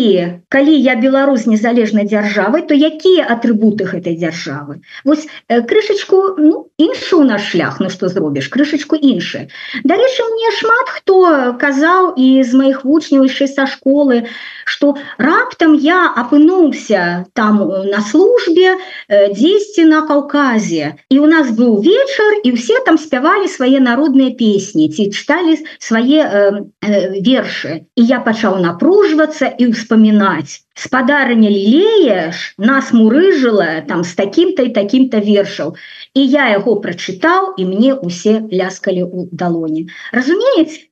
калі я беларус незалежнай дзяржавай, то якія атрыбуты гэтай дзяржавы? Вось крышачку, ну, іншы ў наш шлях, ну што зробіш, крышачку іншы. Дарэчы, мне шмат хто казаў і з маіх вучняў яшчэ са школы, што раптам я апынуўся там на службе дзесьці на Каўказе, і ў нас быў вечар, і ўсе там спявалі свае народныя песні, ці чыталі свае э, э, вершы. І я пачаў напружвацца і ўспамінаць. Спадарыня Лілея ж нас мурыжыла там з такім-то і такім-то вершаў. І я яго прачытаў, і мне ўсе ляскалі ў далоні. Разумееце?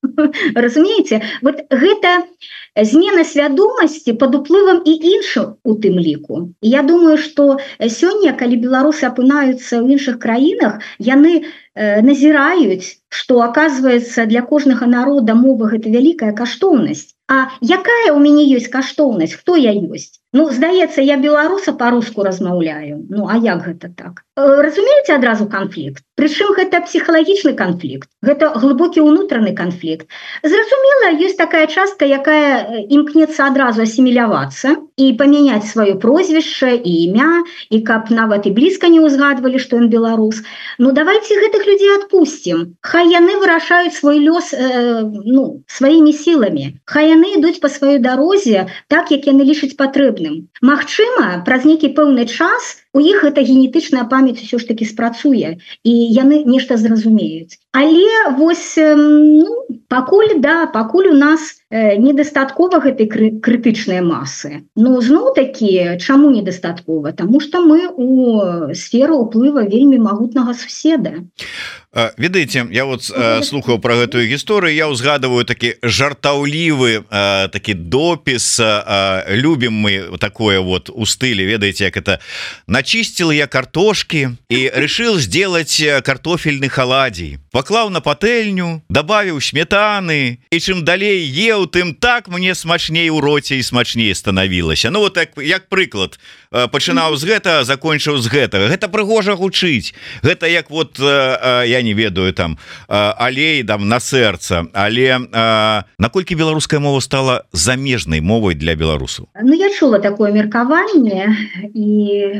Разумееце? Вот гэта змена свядомасці пад уплывам і іншым у тым ліку. І я думаю, што сёння, калі беларусы апынаюцца ў іншых краінах, яны э, назіраюць, што, аказваецца, для кожнага народа мова гэта вялікая каштоўнасць. А якая ў мяне ёсць каштоўнасць? Хто я ёсць? Ну, здаецца, я беларуса па-руску размаўляю. Ну, а як гэта так? Разумееце адразу канфлікт? Прычым гэта псіхалагічны канфлікт, гэта глыбокі ўнутраны канфлікт. Зразумела, ёсць такая частка, якая імкнецца адразу асімілявацца і памяняць сваё прозвішча і імя, і каб нават і блізка не ўзгадвалі, што ён беларус. Ну, давайце гэтых людзей адпусцім. Хай яны вырашаюць свой лёс э, ну, сваімі сіламі. Хай яны ідуць па сваёй дарозе так, як яны лічаць патрэбным. Магчыма, праз нейкі пэўны час у іх гэта генетычная памяць усё ж такі спрацуе, і яны нешта зразумеюць. Але вось, ну, пакуль, да, пакуль у нас э, недастаткова гэтай кры крытычнай масы. Ну, зноў-такі, чаму недастаткова? Таму што мы у сферу ўплыва вельмі магутнага суседа. Ведаеце, я вот э, слухаў про гэтую гісторыю, я ўзгадываю такі жартаўлівы э, такі допіс, э, любім мы такое вот у стылі, ведаеце, як это: начистил я картошки и решил сделать картофельный халадий, поклаў на патэльню, добавіў сметаны, і чым далей еў, тым так мне смачней у роце і смачней станавілася. Ну вот як, як прыклад, пачынаў з гэта, закончыў з гэтага. Гэта прыгожа гучыць. Гэта як вот э, я не ведаю там алей там на сэрца, але э, наколькі беларуская мова стала замежнай мовай для беларусаў? Ну, я чула такое меркаванне, і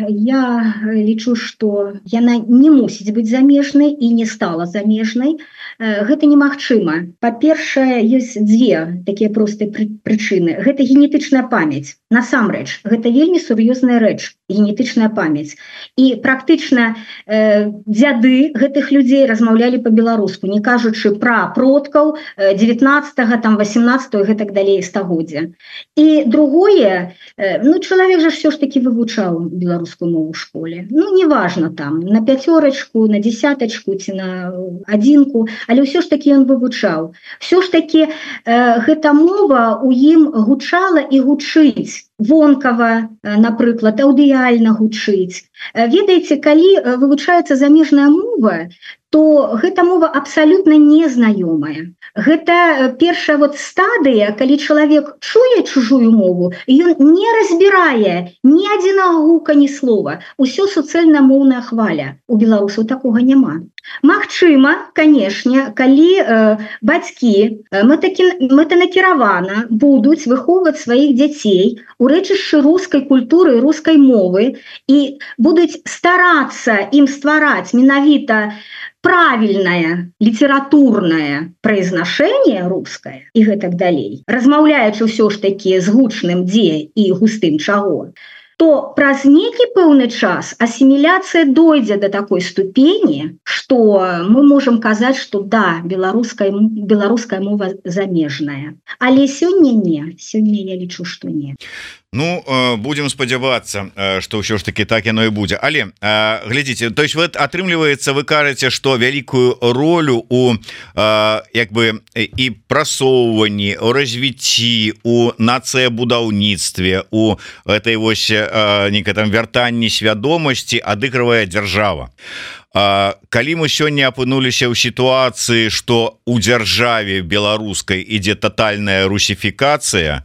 я лічу, што яна не мусіць быць замежнай і не стала замежнай. Гэта немагчыма. Па-першае, ёсць дзве такія простыя прычыны. Гэта генетычная памяць. Насамрэч, гэта вельмі сур'ёзная рэч. генетычная памяць. І практычна э, дзяды гэтых людзей размаўлялі па-беларуску, не кажучы пра продкаў дзевятнаццатага, там восемнадцатого і гэтак далей стагоддзя. І другое, э, ну чалавек жа ўсё ж таки вывучаў беларускую мову ў школе. Ну неважно там на пяцёрачку, на десятачку ці на адзінку, але ўсё ж таки ён вывучаў. Всё ж таки э, гэта мова у ім гучала і гучыць. Вонкава, напрыклад, аўдыяльна гучыць. Ведаеце, калі вывучаецца замежная мова, то гэта мова абсалютна незнаёмая. Гэта першая вот стадыя, калі чалавек чуе чужую мову, ён не разбірае ні адзінага гука, ні слова. Усё суцэльнамоўная хваля. У беларусаў такога няма. Магчыма, канешне, калі э, бацькі мэтанакіравана будуць выхоўваць сваіх дзяцей у рэчышчы рускай культуры і рускай мовы і будуць старацца ім ствараць менавіта правільнае літаратурнае произношение рускае і гэтак далей, размаўляючы ўсё ж такі з гучным дзе і густым чаго, то праз нейкі пэўны час асіміляцыя дойдзе до такой ступені, што мы можам казаць, што да, беларуская, беларуская мова замежная. Але сёння не, сёння я лічу, што не. Ну будем спадзявацца, что ўсё ж таки так яно і будзе. Але глядзіце, то есть вы атрымліваецца, вы кажаце, что вялікую ролю у як бы і прасоўванні, у развіцці, у нацыябудаўніцтве, у этой вось некай там вяртанні свядомасці адыгрывае дзяржава. Калі мы сёння апынуліся ў сітуацыі, што у дзяржаве беларускай ідзе татальная русіфікацыя,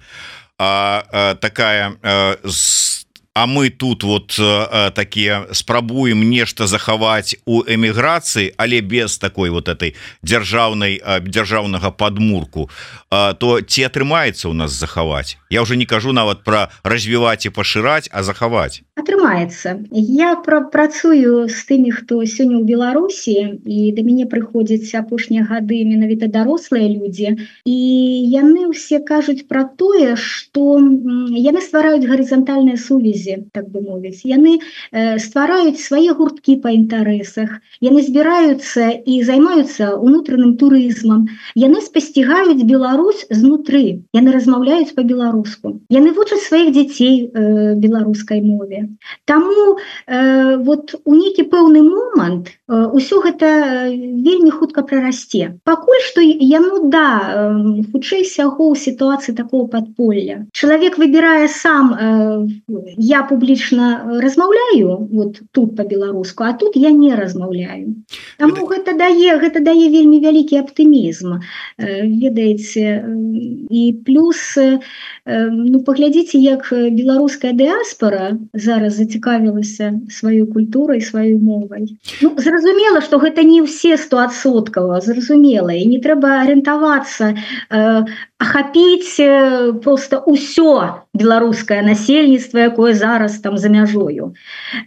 А, а, такая а, с, а мы тут вот а, такие спрабуем нешта захаваць у эміграцыі, але без такой вот этой дзяржаўнай дзяржаўнага падмурку, а, то ці атрымаецца у нас захаваць? Я уже не кажу нават про развіваць і пашыраць, а захаваць. Атрымаецца. Я пра працую з тымі, хто сёння ў Беларусі, і да мяне прыходзяць апошнія гады менавіта дарослыя людзі, і яны ўсе кажуць пра тое, што яны ствараюць гарызантальныя сувязі, так бы мовіць. Яны э, ствараюць свае гурткі па інтарэсах, яны збіраюцца і займаюцца унутраным турызмам, яны спасцігаюць Беларусь знутры, яны размаўляюць па-беларуску, яны вучаць сваіх дзяцей э, беларускай мове. Таму э, вот у нейкі пэўны момант э, усё гэта вельмі хутка прарасце. Пакуль што яно да э, хутчэй сяго ў сітуацыі такого падполля. Чалавек выбірае сам, э, я публічна размаўляю вот тут па-беларуску, а тут я не размаўляю. Таму гэта дае, гэта дае вельмі вялікі аптымізм. Э, ведаеце, э, і плюс э, ну паглядзіце, як беларуская дыаспора зараз зацікавілася сваёй культурай, сваёй мовай. Ну, зразумела, што гэта не ўсе сто адсоткаў, зразумела, і не трэба арыентавацца, э, ахапіць э, просто ўсё беларускае насельніцтва, якое зараз там за мяжою.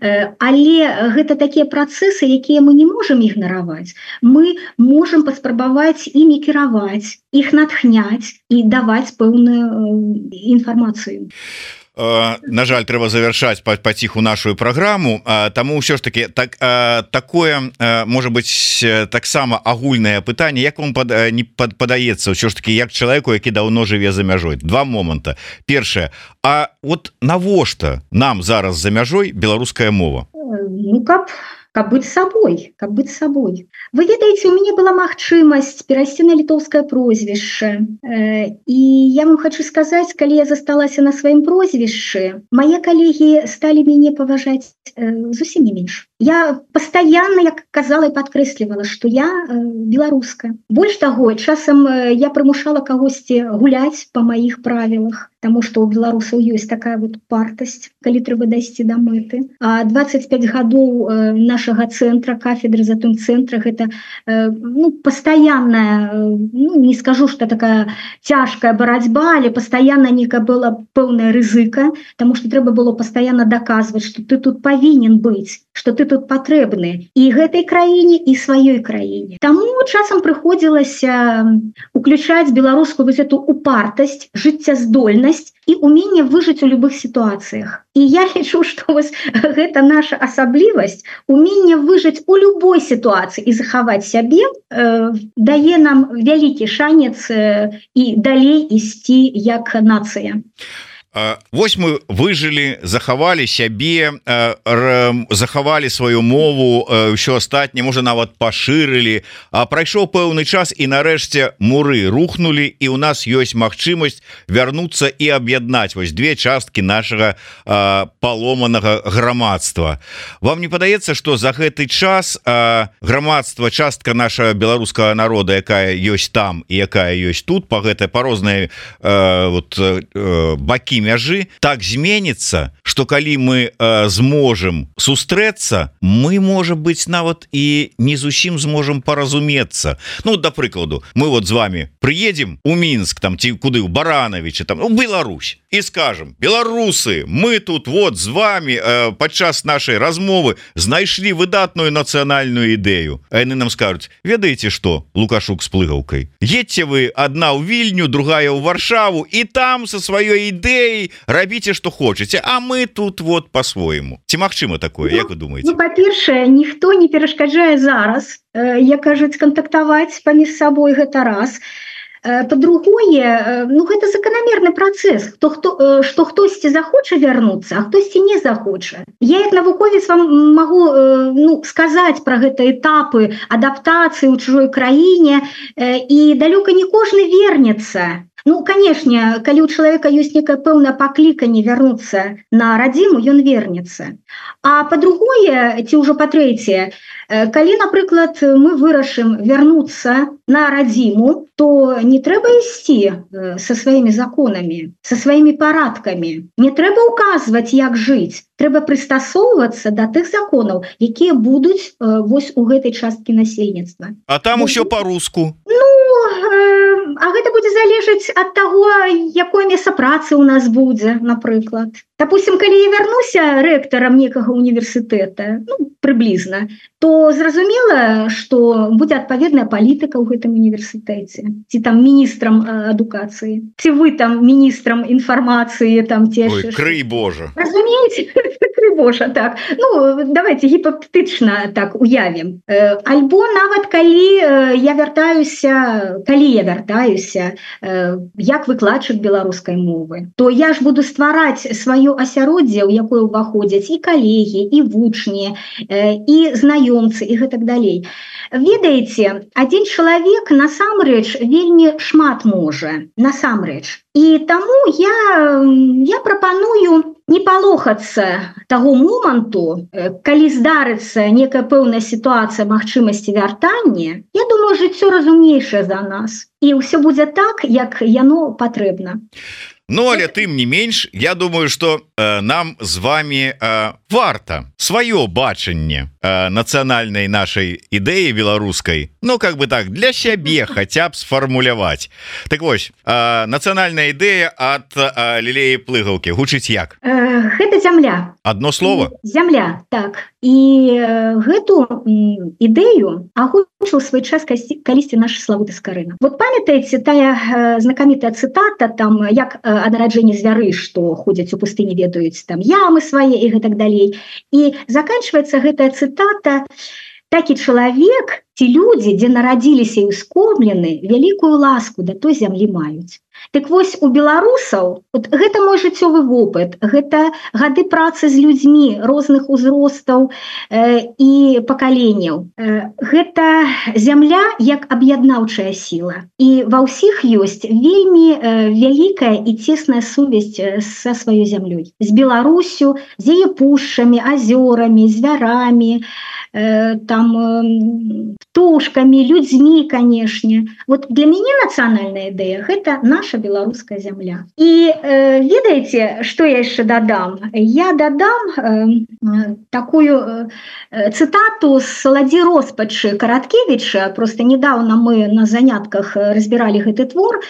Э, але гэта такія працэсы, якія мы не можам ігнараваць. Мы можам паспрабаваць імі кіраваць, іх натхняць і даваць пэўную э, інфармацыю. На жаль, трэба завяршаць паціху нашу праграму, таму ўсё ж таки так, такое можа быць таксама агульнае пытанне, як вам не падаецца ўсё ж таки як чалавеку, які даўно жыве за мяжой. Два моманта. Першае, а вот навошта нам зараз за мяжой беларуская мова? Ну каб каб быць сабой, каб быць сабой. Вы ведаеце, у мяне была магчымасць перайсці на літоўскае прозвішча. Э, і я вам хочу сказаць, калі я засталася на сваім прозвішчы, мае калегі сталі мяне паважаць э, зусім не менш. Я пастаянна, як казала і падкрэслівала, што я э, беларуска. Больш таго, часам э, я прымушала кагосьці гуляць па маіх правілах, таму што ў беларусаў ёсць такая вот партасць, калі трэба дайсці да мэты. А дваццаць пяць гадоў э, нашага цэнтра, кафедры затым цэнтра, гэта э, ну, пастаянная, э, ну, не скажу, што такая цяжкая барацьба, але пастаянна некая была пэўная рызыка, таму што трэба было пастаянна даказваць, што ты тут павінен быць. что ты тут патрэбны і гэтай краіне і сваёй краіне. Таму часам прыходзілася уключаць беларускую вот эту упартасць, жыццяздольнасць і умение выжыць у любых сітуацыях. І я лічу, што вось гэта наша асаблівасць, умение выжыць у любой сітуацыі і захаваць сябе э, дае нам вялікі шанец э, і далей ісці як нацыя. Вось мы выжылі, захавалі сябе, захавалі сваю мову, ўсё астатняе, можа нават пашырылі, а прайшоў пэўны час і нарэшце муры рухнулі і ў нас ёсць магчымасць вярнуцца і аб'яднаць вось две часткі нашага паломанага грамадства. Вам не падаецца, што за гэты час грамадства, частка нашага беларускага народа, якая ёсць там і якая ёсць тут, па гэтай па розныя вот бакі мяжы, так зменится, что калі мы э, зможем сустрэцца, мы, может быть, нават и не зусім зможем поразумецца. Ну, да прыкладу, мы вот з вами приедем у Мінск, там, ці куды, у Барановича, там, у Беларусь, и скажем: беларусы, мы тут вот з вами э, падчас нашей размовы знайшлі выдатную нацыянальную ідэю. А яны нам скажут: ведаеце что, Лукашук с плыгаўкай, едьте вы одна ў Вільню, другая ў Варшаву, и там со своей ідэей рабіце что хочаце, а мы тут вот по-свойму. Ці магчыма такое, ну, як вы думаете? Ну, па-першае, ніхто не перашкаджае зараз, э, як кажуць, кантактаваць паміж сабой, гэта раз. Э, па-другое, э, ну гэта заканамерны працэс, хто хто э, што хтосьці захоча вярнуцца, а хтосьці не захоча. Я як навуковец вам магу э, ну сказаць пра гэта этапы адаптацыі ў чужой краіне, э, і далёка не кожны вернецца. Ну, конечно, калі у чалавека ёсць некае пэўнае пакліканне вярнуцца на радзіму, ён вернецца. А па-другое, ці ўжо па-трэцяе, калі, напрыклад, мы вырашым вярнуцца на радзіму, то не трэба ісці са сваімі законамі, са сваімі парадкамі. Не трэба ўказваць, як жыць. Трэба прыстасоўвацца да тых законаў, якія будуць э, вось у гэтай часткі насельніцтва. А там усё па-руску. Ну, э, а гэта будзе залежаць ад таго, якое месца працы ў нас будзе, напрыклад. Допустим, калі я вярнуся рэктарам некага універсітэта, ну, прыблізна, то зразумела, што будзе адпаведная палітыка ў гэтым універсітэце. Ці там міністрам э, адукацыі, ці вы там міністрам інфармацыі там цешыш. Ой, крый Божа. Разумееце? Крый Божа, так. Ну, давайте гіпотэтычна так уявім. Э, альбо нават калі э, я вяртаюся, калі я вяртаюся э, як выкладчык беларускай мовы, то я ж буду ствараць сваю асяроддзе, у якое ўваходзяць і калегі, і вучні, і знаёмцы, і гэтак далей. Ведаеце, адзін чалавек насамрэч вельмі шмат можа, насамрэч. І таму я, я прапаную не палохацца таго моманту, калі здарыцца некая пэўная сітуацыя магчымасці вяртання. Я думаю, жыццё разумнейшае за нас. І ўсё будзе так, як яно патрэбна. Ну, але тым не менш, я думаю, что э, нам з вами э, варта сваё бачанне э, нацыянальнай нашай ідэі беларускай, ну, как бы так, для сябе хотя б сфармуляваць. Так вось, э, нацыянальная ідэя ад э, Лілеі Плыгаўкі гучыць як? Э, гэта зямля. Одно слово? Зямля, так. І э, гэту ідэю агучыў свой час калісьці наш Славута Скарына. Вот памятаеце, тая э, знакамітая цытата, там, як э, о нараджэнні звяры, што ходзяць у пустыні, ведаюць там ямы свае і гэтак далей. І заканчваецца гэтая цытата: такі чалавек, ці людзі, дзе нарадзіліся і ўскормлены, вялікую ласку да той зямлі маюць. Так вось, у беларусаў, вот гэта мой жыццёвы вопыт, гэта гады працы з людзьмі розных узростаў э, і пакаленняў. Э, гэта зямля як аб'яднаўчая сіла. І ва ўсіх ёсць вельмі э, вялікая і цесная сувязь са сваёй зямлёй. З Беларусю, з яе пушчамі, азёрамі, звярамі, э, там э, птушками, людьми, конечно. Вот для меня национальная идея – это наша белорусская земля. И э, ведаете, что я еще додам? Я додам э, такую э, цитату с «Ладзі роспачы» Караткевича. Просто недавно мы на занятках разбирали этот твор,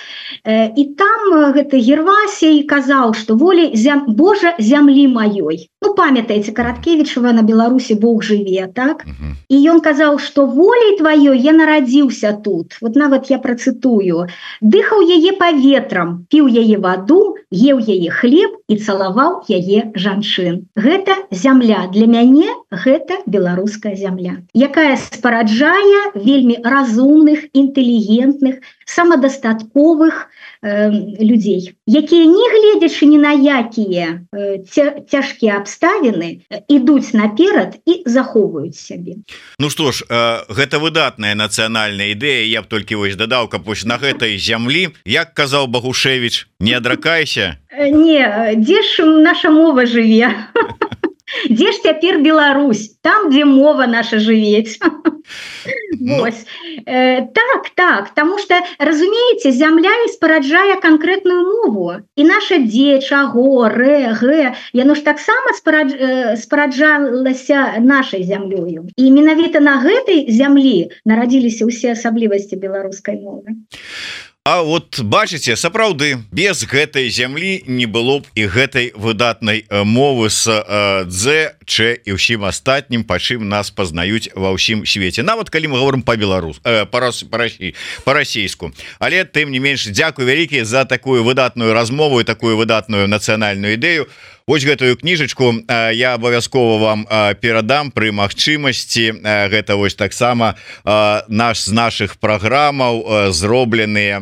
э, и там гэты Гервасий казал, что волей зям... Божа зямлі маёй. Ну, памятаете, Караткевичева на Беларуси Бог живе, так? Uh-huh. И он казал, что волей твоей я народился тут. Вот нават я процитую. Дыхаў яе паветрам, піў яе ваду, еў яе хлеб и цалаваў яе жанчын. Гэта зямля. Для мяне гэта беларуская зямля, якая спараджае вельмі разумных, інтэлігентных, самадастатковых э, людзей, якія, не гледзячы ні на якія э, цяжкія абставіны, ідуць наперад і захоўваюць сябе. Ну што ж, э, гэта выдатная нацыянальная ідэя. Я б толькі вось дадаў, каб вось на гэтай зямлі, як казаў Багушевіч, не адракайся. Не, дзе ж наша мова жыве? Дзе ж цяпер Беларусь? Там, дзе мова наша жывець. Ну... Э, так, так, потому что, разумеете, зямля не спараджае конкретную мову. И наша дзе, чаго, рэ, гэ, яно ж таксама спарадж... э, спараджалася нашай зямлёю. И менавіта на гэтай зямлі нарадзіліся ўсе асаблівасці беларускай мовы. А вот бачыце, сапраўды, без гэтай зямлі не было б і гэтай выдатнай мовы з дзе, чэ і ўсім астатнім, па чым нас пазнаюць ва ўсім свеце. Нават калі мы говорим па-беларус, па-расійску. Але тым не менш, дзякуй вялікі за такую выдатную размову і такую выдатную нацыянальную ідэю. Вось гэтую кніжачку я абавязкова вам перадам пры магчымасці. Гэта вось таксама наш з нашых праграмаў зробленыя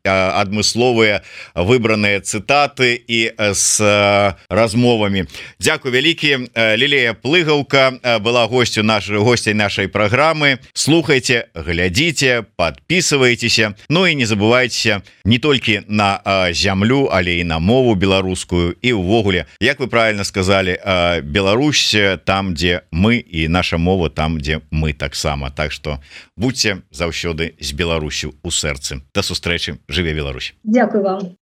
адмысловыя выбраныя цытаты і з размовамі. Дзякуй вялікі. Лілея Плыгаўка была гостю нашай госцей нашай праграмы. Слухайце, глядзіце, подписывайтеся. Ну і не забывайце не толькі на зямлю, але і на мову беларускую і ўвогуле. Як вы правильно сказали, Беларусь там, дзе мы, і наша мова там, дзе мы таксама. Так што будьце заўсёды з Беларусю ў сэрцы. Да сустрэчы. Жыве Беларусь. Дзякуй вам.